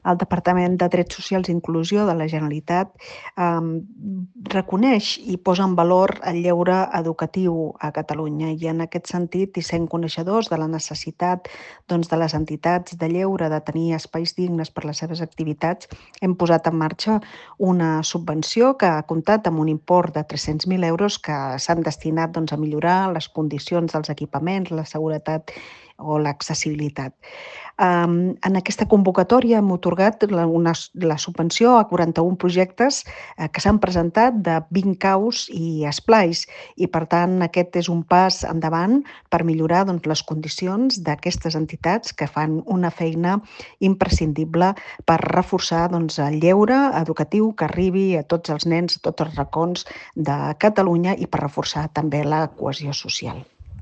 el Departament de Drets Socials i Inclusió de la Generalitat reconeix i posa en valor el lleure educatiu a Catalunya i en aquest sentit, i sent coneixedors de la necessitat de les entitats de lleure de tenir espais dignes per les seves activitats, hem posat en marxa una subvenció que ha comptat amb un import de 300.000 euros que s'han destinat a millorar les condicions dels equipaments, la seguretat o l'accessibilitat. En aquesta convocatòria hem atorgat la subvenció a 41 projectes que s'han presentat de 20 caus i esplais i, per tant, aquest és un pas endavant per millorar les condicions d'aquestes entitats que fan una feina imprescindible per reforçar el lleure educatiu que arribi a tots els nens, a tots els racons de Catalunya i per reforçar també la cohesió social.